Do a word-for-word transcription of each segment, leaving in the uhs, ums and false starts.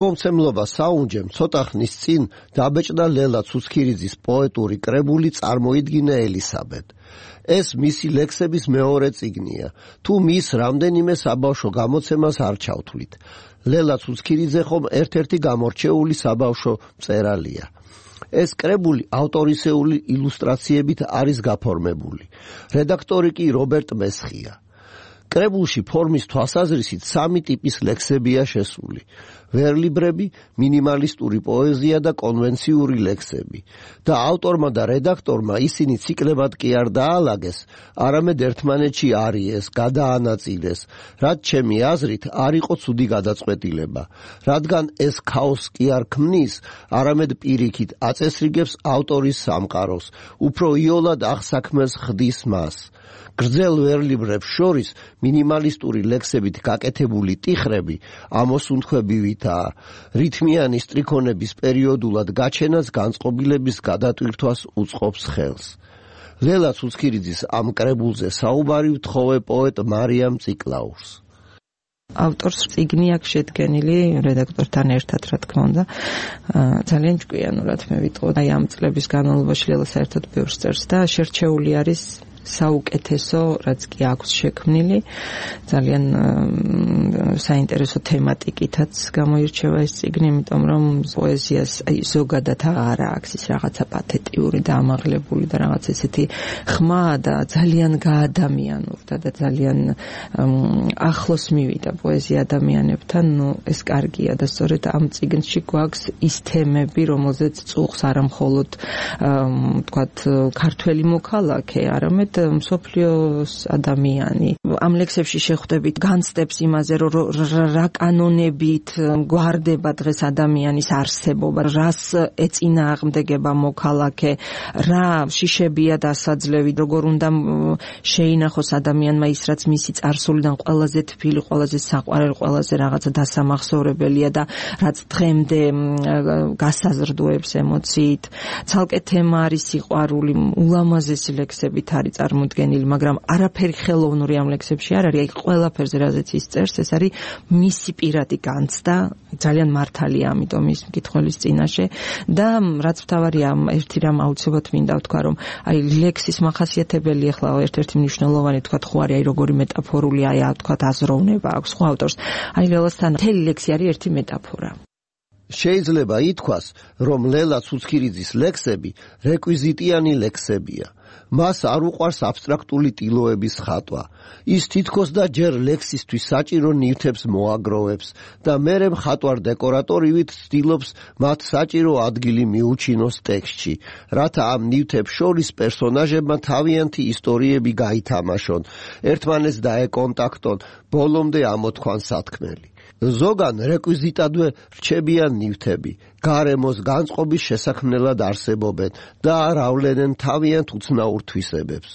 მომცემლობა საუნჯემ ცოტა ხნის წინ დაბეჭდა ლელა ცუცქირიძის პოეტური კრებული წარმოიდგინა ელისაბედ. ეს მისი ლექსების მეორე წიგნია, თუ მის რამდენიმე საბავშვო გამოცემას არ ჩავთვლით. ლელა ცუცქირიძე ხომ ერთ-ერთი გამორჩეული საბავშვო მწერალია. ეს კრებული ავტორისეული ილუსტრაციებით არის გაფორმებული. რედაქტორი კი რობერტ მესხია. კრებულში ფორმის თვალსაზრისით სამი ტიპის ლექსებია შესული: ვერლიბრები, მინიმალისტური პოეზია და კონვენციური ლექსები. და ავტორმა და რედაქტორმა ისინი ციკლებად კი არ დაალაგეს, არამედ ერთმანეთში არიეს, გადაანაწილეს, რაც ჩემი აზრით არ იყო ცუდი გადაწყვეტილება, რადგან ეს ქაოსს კი არ ქმნის, არამედ პირიქით აწესრიგებს ავტორის სამყაროს, უფრო იოლად აღსაქმეს ხდის მას. გრძელ ვერლიბრებს შორის მინიმალისტური ლექსებით გაკეთებული ტიხრები ამოსუნთქვებივითაა, რითმიანი სტრიქონების პერიოდულად გაჩენას განწყობილების გადატვირთვას უწყობს ხელს. ლელა ცუცქირიძის ამ კრებულზე საუბარი ვთხოვე პოეტ მარიამ ციკლაურს. ავტორს წიგნი აქვს შედგენილი რედაქტორთან ერთად, რა თქმა უნდა. ძალიან ჭკვიანურად მე ვიტყოდ, აი ამ წლების განმავლობაში ლელა საერთოდ ბევრს წერს და შერჩეული არის საუკეთესო, რაც კი აქვს შექმნილი, ძალიან საინტერესო თემატიკითაც გამოირჩევა ეს წიგნი, იმიტომ რომ პოეზიას აი ზოგადად არ აქვს ის რაღაცა პათეტიური და ამაღლებული და რაღაც ესეთი ხმა და ძალიან გაადამიანურდა და ძალიან ახლოს მივიდა პოეზია ადამიანებთან. ნუ ეს კარგია და სწორედ ამ წიგნში გვაქვს ის თემები, რომელზეც წუხს არა მხოლოდ ვთქვათ ქართველი მოქალაქე, არამედ მსოფლიოს ადამიანი. ამ ლექსებში შეხვდებით განცდებს იმაზე, რომ რა კანონებით გვარდება დღეს ადამიანის არსებობა, რას ეწინააღმდეგება მოქალაქე, რა შიშებია დასაძლევი, როგორ უნდა შეინახოს ადამიანმა ის, რაც მისი წარსულიდან ყველაზე თბილი, ყველაზე საყვარელი, ყველაზე რაღაცა დასამახსოვრებელია და რაც დღემდე გასაზრდოებს ემოციით. ცალკე თემა არის სიყვარული, ულამაზესი ლექსებით არის წარმოდგენილი, მაგრამ არაფერი ხელოვნური ამ ლექსებში არ არის. აი ყველაფერზე რაზეც ის წერს, ეს არის მისი პირადი განცდა, ძალიან მართალია ამიტომ ის მკითხველის წინაშე და რაც მთავარია, ერთი რამ აუცილებლად მინდა ვთქვა, რომ აი ლექსის მახასიათებელი ახლა ერთ-ერთი მნიშვნელოვანი თქვა ხო არის, აი როგორი მეტაფორული, აი თქვა აზროვნება აქვს ხო ავტორს. აი ლელასთან მთელი ლექსი არის ერთი მეტაფორა. შეიძლება ითქვას, რომ ლელა ცუცქირიძის ლექსები რეკვიზიტიანი ლექსებია. მას არ უყვარს აბსტრაქტული ტილოების ხატვა. ის თითქოს და ჯერ ლექსისთვის საჭირო ნივთებს მოაგროვებს და მერე მხატვარ დეკორატორივით ცდილობს მათ საჭირო ადგილი მიუჩინოს ტექსტში, რათა ამ ნივთებს შორის პერსონაჟებმა თავიანთი ისტორიები გაითამაშონ, ერთმანეთს დაეკონტაქტონ, ბოლომდე ამოთქვან სათქმელი. ზოგან რეკვიზიტადვე რჩებიან ნივთები, გარემოს განწყობის შესაქმნელად არსებობენ და არ ავლენენ თავიანთ უცნაურ თვისებებს.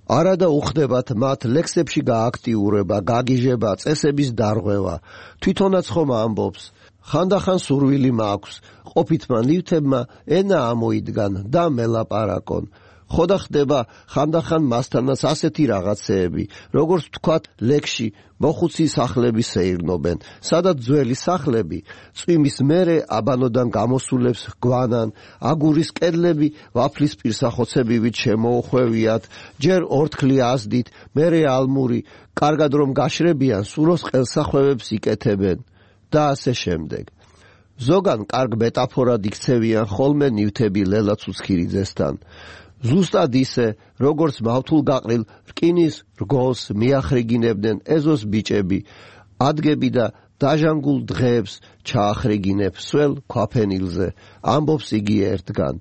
არადა უხდებათ მათ ლექსებში გააქტიურება, გაგიჟება, წესების დარღვევა. თვითონაც ხომ ამბობს, ხანდახან სურვილი მაქვს, ყოფითმა ნივთებმა ენა ამოიდგან და მელაპარაკონ. ხოდა ხდება ხანდახან მასთანაც ასეთი რაღაცეები, როგორც ვთქვათ ლექსში მოხუცი სახლები სეირნობენ, სადაც ძველი სახლები წვიმის მერე აბანოდან გამოსულებს გვანან, აგურის კედლები ვაფლის პირსახოცებივით შემოუხვევიათ, ჯერ ორთქლი აზდით, მერე ალმური, კარგად რომ გაშრებიან, სუროს ყელსახვევებს იკეთებენ და ასე შემდეგ. ზოგან კარგ მეტაფორად იქცევიან ხოლმე ნივთები ლელა ცუცქირიძესთან. ზუსტად ისე, როგორც მავთულ გაყრილ რკინის რგოლს მიახრიგინებდნენ ეზოს ბიჭები, ადგები და დაჟანგულ დღეებს ჩაახრიგინებ სველ ქვაფენილზე, ამბობს იგი ერთგან.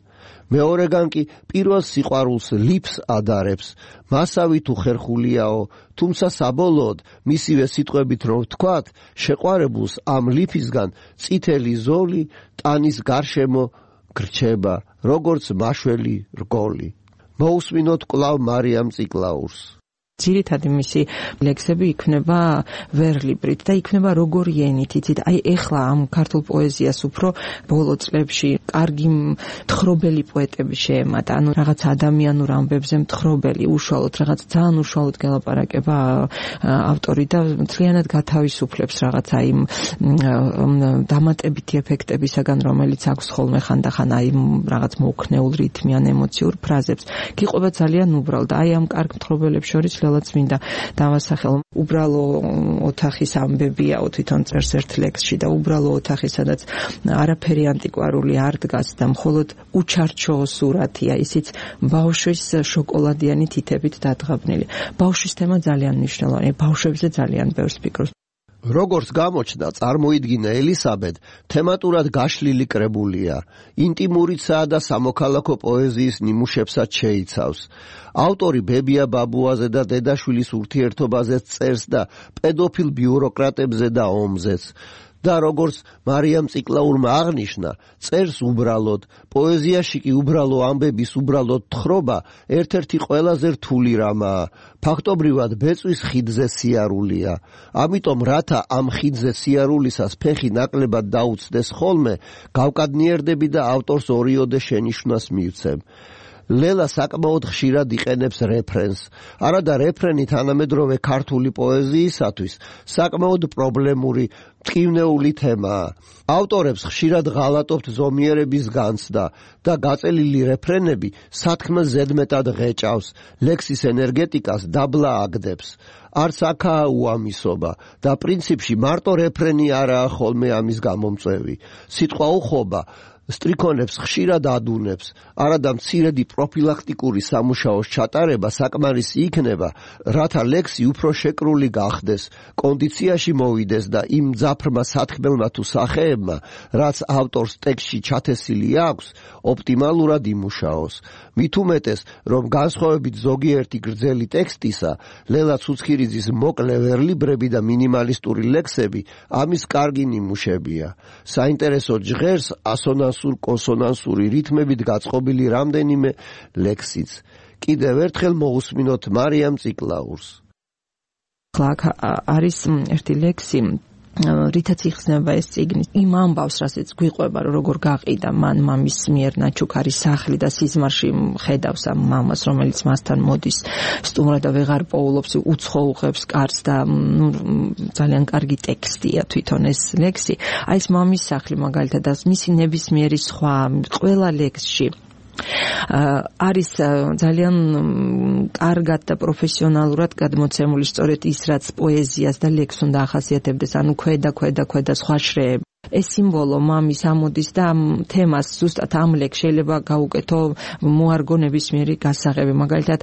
მეორეგან კი პირველ სიყვარულს ლიფს ადარებს, მასავი თუ ხერხულიაო, თუმცა საბოლოოდ მისივე სიტყვებით რომ ვთქვათ, შეყვარებულს ამ ლიფისგან წითელი ზოლი ტანის გარშემო გრჩება, როგორც მაშველი რგოლი. მოусმინოთ კვლავ მარიამ ციკლაურს. ძირითადი მისი ლექსები იქნება ვერლიბრით და იქნება როგორი ენით, იცით, აი ეხლა ამ ქართულ პოეზიას უფრო ბოლო წლებში კარგი მთხრობელი პოეტები შეემატა, ანუ რაღაც ადამიანურ ამბებზე მთხრობელი, უშუალოდ რაღაც ძალიან უშუალოდ გელაპარაკება ავტორი და მთლიანად გათავისუფლებს რაღაცა იმ დამატებითი ეფექტებისაგან, რომელიც აქვს ხოლმე ხანდახან აი რაღაც მოუქნეულ რითმიან ემოციურ ფრაზებს. გიყვება ძალიან უბრალოდ. აი ამ კარგ მთხრობელებს შორის ლელაც მინდა დავასახელო. უბრალო ოთახის ამბებიაო თვითონ წერს ერთ ლექსში და უბრალო ოთახი, სადაც არაფერი ანტიკვარული არ დგას და მხოლოდ უჩარჩო სურათია, ისიც ბავშვის შოკოლადიანი თითებით დადღაბნილი. ბავშვის თემა ძალიან მნიშვნელოვანია, ბავშვებზე ძალიან ბევრს ფიქრობს. როგორც გამოჩნდა, წარმოიდგინა ელისაბედ თემატურად გაშლილი კრებულია, ინტიმურიცაა და სამოქალაქო პოეზიის ნიმუშებსაც შეიცავს. ავტორი ბებია ბაბუაზე და დედაშვილის ურთიერთობაზე წერს და პედოფილ ბიუროკრატებზე და ომზეც. და როგორც მარიამ ციკლაურმა აღნიშნა, წერს უბრალოდ, პოეზიაში კი უბრალო ამბების უბრალოდ თხრობა ერთ-ერთი ყველაზე რთული რამაა. ფაქტობრივად ბეწვის ხიდზე სიარულია. ამიტომ რათა ამ ხიდზე სიარულისას ფეხი ნაკლებად დაუცდეს ხოლმე, გავკადნიერდები და ავტორს ორიოდე შენიშვნას მივცემ. ლელა საკმაოდ ხშირად იყენებს რეფრენს. არადა რეფრენი თანამედროვე ქართული პოეზიისათვის საკმაოდ პრობლემური მტკივნეული თემაა. ავტორებს ხშირად ღალატობთ ზომიერების განცდა და გაწელილი რეფრენები სათქმელს ზედმეტად ღეჭავს, ლექსის ენერგეტიკას დაბლა აგდებს. არც აქაა უამისობა და პრინციპში მარტო რეფრენი არაა ხოლმე ამის გამომწვევი. სიტყვა უხობა სტრიქონებს ხშირად ადუნებს, არადა მცირედი პროფილაქტიკური სამუშაოს ჩატარება საკმარისი იქნება, რათა ლექსი უფრო შეკრული გახდეს, კონდიციაში მოვიდეს და იმ მძაფრმა სათქმელმა თუ სახეებმა, რაც ავტორს ტექსტში ჩათესილი აქვს, ოპტიმალურად იმუშაოს. მით უმეტეს, რომ განსხვავებით ზოგიერთი გრძელი ტექსტისა, ლელა ცუცქირიძის მოკლე ვერლიბრები და მინიმალისტური ლექსები ამის კარგი ნიმუშებია. საინტერესო ჟღერს ასონანსურ კონსონანსური რითმებით გაწყობილი რამდენიმე ლექსიც. კიდევ ერთხელ მოусმინოთ მარიამ ციკლაურს. ხლაკ არის ერთი ლექსი, რითაც იხსნება ეს წიგნი, იმ ამბავს, რასაც გვიყვება, როგორ გაყიდა მან მამის მიერ ნაჩუქარი სახლი და სიზმარში ხედავს ამ მამას, რომელიც მასთან მოდის სტუმრად და ვეღარ პოულობს, უცხოუღებს კარს და ნუ ძალიან კარგი ტექსტია თვითონ ეს ლექსი. აი ეს მამის სახლი მაგალითად და მისი ნებისმიერი სხვა ყველა ლექსში არის ძალიან კარგად და პროფესიონალურად გადმოცემული სწორედ ის, რაც პოეზიას და ლექსს უნდა ახასიათებდეს, ანუ ქვედა ქვედა ქვედა სხვა შრეები. ეს სიმბოლო მამის ამოდის და ამ თემას ზუსტად ამ ლექსში შეიძლება გაუკეთო მოარგო ნებისმიერი გასაღები, მაგალითად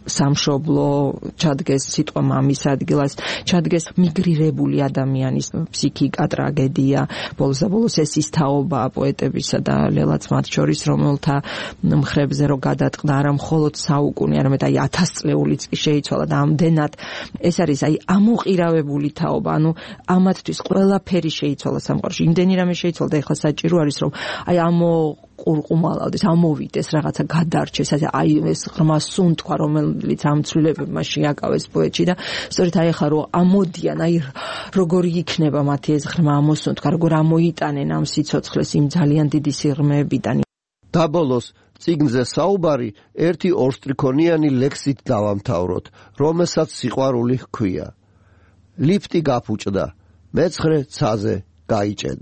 სამშობლო ჩადგეს სიტყვა მამის ადგილას, ჩადგეს მიგრირებული ადამიანის ფსიქიკა, ტრაგედია, ბოლოს და ბოლოს ეს ის თაობა პოეტებისა და ლელაც მათ შორის, რომელთა მხრებზე რო გადატყდა არა მხოლოდ საუკუნე, არამედ აი ათასწლეულიც კი შეიცვალა და ამდენად ეს არის აი ამოყირავებული თაობა, ანუ ამათთვის ყველაფერი შეიცვალა სამყაროში. იმდენი რამე შეიცვალა და ეხლა საჭირო არის რომ აი ამო ყურყუმალავდეს, ამოვიდეს, რაღაცა გადარჩეს, აი ეს ღრმა სუნთქვა, რომელიც ამ ცვლილებებმა შეაკავეს პოეტში და სწორედ აი ახლა რომ ამოდიან, აი როგორი იქნება მათი ეს ღრმა ამოსუნთქვა, როგორ ამოიტანენ ამ სიცოცხლეს იმ ძალიან დიდი სიღრმეებიდან. და ბოლოს წიგნზე საუბარი ერთი ორსტრიქონიანი ლექსით დავამთავროთ, რომელსაც სიყვარული ჰქვია. ლიფტი გაფუჭდა, მეცხრე ცაზე გაიჭედა.